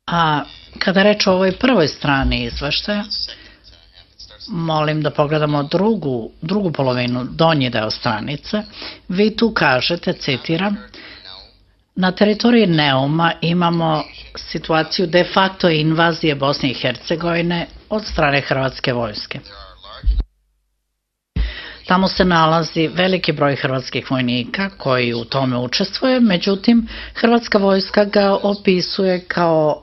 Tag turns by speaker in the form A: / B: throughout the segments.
A: A kada reč o ovoj prvoj strani izveštaja, molim da pogledamo drugu polovinu, donji deo stranice. Vi tu kažete, citiram, na teritoriji Neuma imamo situaciju de facto invazije Bosne i Hercegovine od strane Hrvatske vojske. Tamo se nalazi veliki broj hrvatskih vojnika koji u tome učestvuje, međutim, Hrvatska vojska ga opisuje kao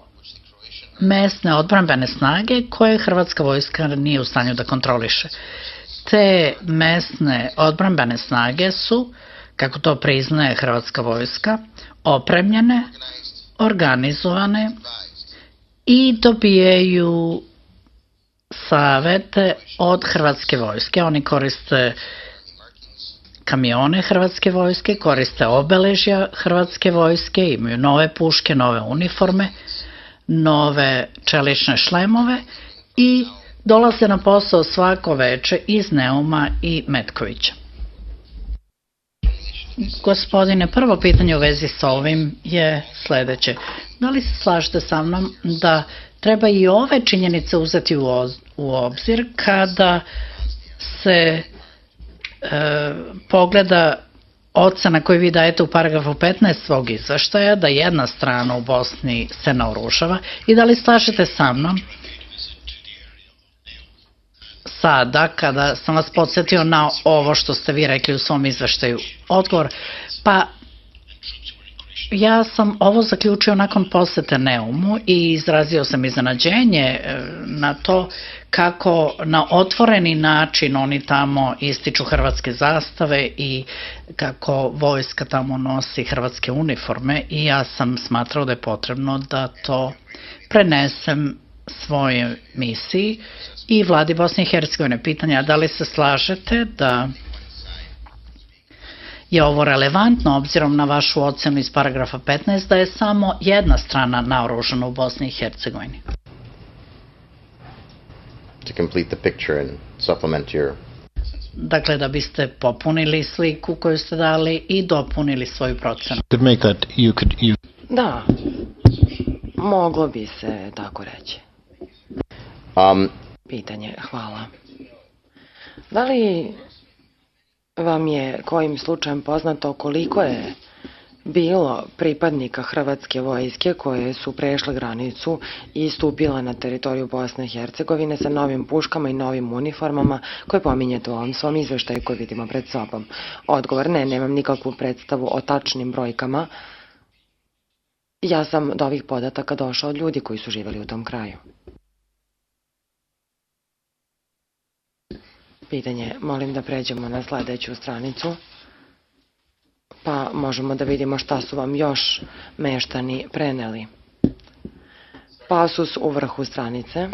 A: mesne odbrambene snage koje Hrvatska vojska nije u stanju da kontroliše. Te mesne odbrambene snage su, kako to priznaje Hrvatska vojska, opremljene, organizovane i dobijaju savete od Hrvatske vojske. Oni koriste kamione Hrvatske vojske, koriste obeležja Hrvatske vojske, imaju nove puške, nove uniforme, nove čelične šlemove i dolaze na posao svako veče iz Neuma i Metkovića. Gospodine, prvo pitanje u vezi sa ovim je sledeće. Da li se slažete sa mnom da treba i ove činjenice uzeti u obzir kada se pogleda ocena koju vi dajete u paragrafu 15 svog izveštaja, da jedna strana u Bosni se naoružava, i da li slažete sa mnom sada kada sam vas podsjetio na ovo što ste vi rekli u svom izveštaju? Odgovor, pa ja sam ovo zaključio nakon posete Neumu i izrazio sam iznenađenje na to kako na otvoreni način oni tamo ističu hrvatske zastave i kako vojska tamo nosi hrvatske uniforme, i ja sam smatrao da je potrebno da to prenesem svojoj misiji i vladi Bosne i Hercegovine. Pitanja, da li se slažete da je ovo relevantno obzirom na vašu ocenu iz paragrafa 15 da je samo jedna strana naoružana u Bosni i Hercegovini?
B: To complete the picture and supplement your...
A: Dakle, da biste popunili sliku koju ste dali i dopunili svoju procenu.
C: Da, moglo bi se tako reći. Pitanje, hvala. Da li vam je kojim slučajem poznato koliko je bilo pripadnika Hrvatske vojske koje su prešle granicu i stupila na teritoriju Bosne i Hercegovine sa novim puškama i novim uniformama koje pominjete u ovom svom izveštaju koji vidimo pred sobom? Odgovor, ne, nemam nikakvu predstavu o tačnim brojkama. Ja sam do ovih podataka došao od ljudi koji su živeli u tom kraju. Pitanje, molim da pređemo na sledeću stranicu, pa možemo da vidimo šta su vam još meštani preneli. Pasus u vrhu stranice.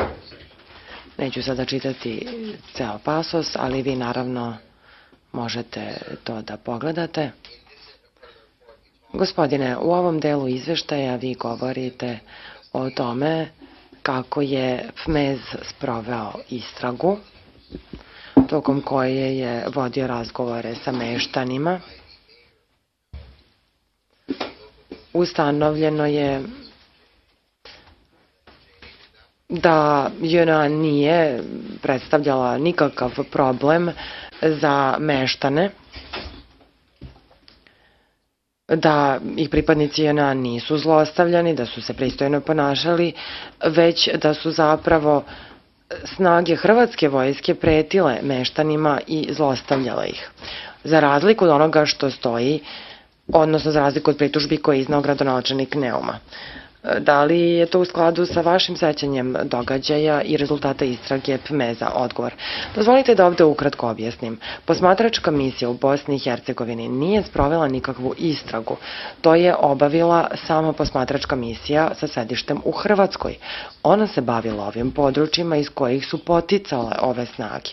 C: Neću sada čitati ceo pasus, ali vi naravno možete to da pogledate. Gospodine, u ovom delu izveštaja vi govorite o tome kako je FMEZ sproveo istragu, tokom koje je vodio razgovore sa meštanima. Ustanovljeno je da JNA nije predstavljala nikakav problem za meštane, da ih pripadnici JNA nisu zlostavljani, da su se pristojno ponašali, već da su zapravo snage Hrvatske vojske pretile meštanima i zlostavljala ih. Za razliku od onoga što stoji, odnosno za razliku od pritužbi koje je iznao gradonačelnik Neuma. Da li je to u skladu sa vašim sećanjem događaja i rezultata istrage PMEZ-a? Odgovor. Dozvolite da ovde ukratko objasnim. Posmatračka misija u Bosni i Hercegovini nije sprovela nikakvu istragu. To je obavila samo posmatračka misija sa sedištem u Hrvatskoj. Ona se bavila ovim područjima iz kojih su poticale ove snage.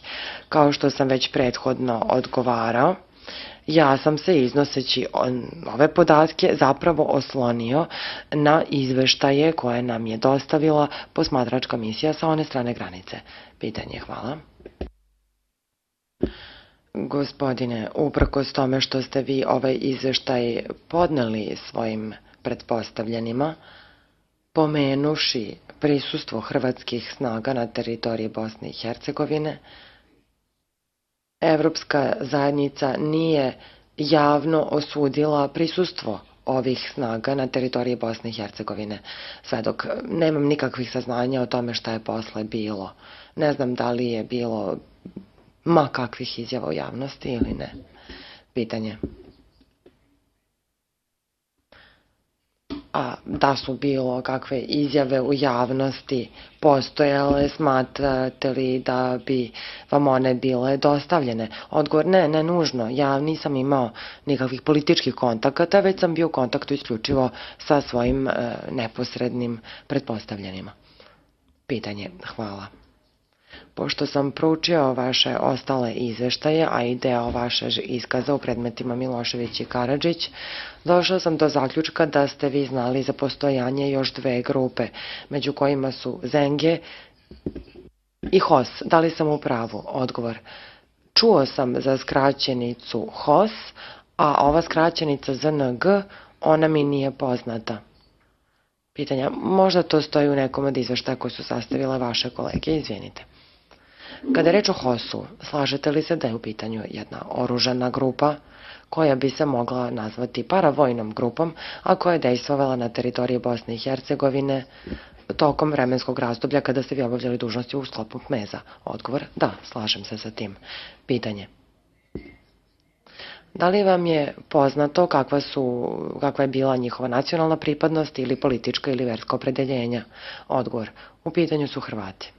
C: Kao što sam već prethodno odgovarao, ja sam se, iznoseći ove podatke, zapravo oslonio na izveštaje koje nam je dostavila posmatračka misija sa one strane granice. Pitanje, hvala. Gospodine, uprkos tome što ste vi ovaj izveštaj podneli svojim pretpostavljenima, pomenuši prisustvo hrvatskih snaga na teritoriji Bosne i Hercegovine, Evropska zajednica nije javno osudila prisustvo ovih snaga na teritoriji Bosne i Hercegovine, sve dok nemam nikakvih saznanja o tome šta je posle bilo. Ne znam da li je bilo ma kakvih izjava u javnosti ili ne. Pitanje. A da su bilo kakve izjave u javnosti postojale, smatrate li da bi vam one bile dostavljene? Odgovor, ne nužno. Ja nisam imao nikakvih političkih kontakata, već sam bio u kontaktu isključivo sa svojim neposrednim pretpostavljenima. Pitanje, hvala. Pošto sam proučio vaše ostale izveštaje, a i deo vaše iskaza u predmetima Milošević i Karadžić, došao sam do zaključka da ste vi znali za postojanje još dve grupe, među kojima su Zenge i HOS. Da li sam u pravu? Odgovor. Čuo sam za skraćenicu HOS, a ova skraćenica ZNG, ona mi nije poznata. Pitanja, možda to stoji u nekom od izveštaja koji su sastavile vaše kolege, izvinite. Kada je reč o HOS-u, slažete li se da je u pitanju jedna oružana grupa koja bi se mogla nazvati paravojnom grupom, a koja je dejstvovala na teritoriji Bosne i Hercegovine tokom vremenskog razdoblja kada ste vi obavljali dužnosti u sklopu MEZ-a? Odgovor, da, slažem se sa tim. Pitanje. Da li vam je poznato kakva je bila njihova nacionalna pripadnost ili politička ili verska opredeljenja? Odgovor, u pitanju su Hrvati.